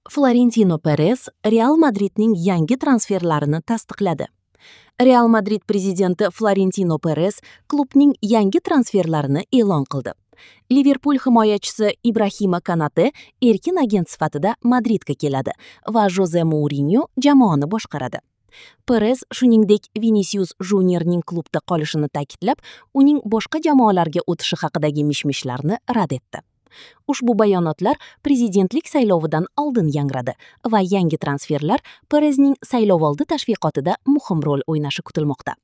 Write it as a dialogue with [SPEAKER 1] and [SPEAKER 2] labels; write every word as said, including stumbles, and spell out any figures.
[SPEAKER 1] Florentino Perez Real Madridning yangi transferlarini tasdiqladi. Real Madrid prezidenti Florentino Perez klubning yangi transferlarini e'lon qildi. Liverpul himoyachisi Ibrahima Konate erkin agent sifatida Madridga keladi va Joze Mourinyo jamoani boshqaradi. Perez shuningdek Vinisius Juniorning klubda qolishini ta'kidlab, uning boshqa jamoalarga o'tishi haqidagi mish-mishlarni rad etdi. Ushbu bayonotlar prezidentlik saylovidan oldin yangradi va yangi transferlar Perezning saylovoldi tashviqotida muhim rol o'ynashi kutilmoqda.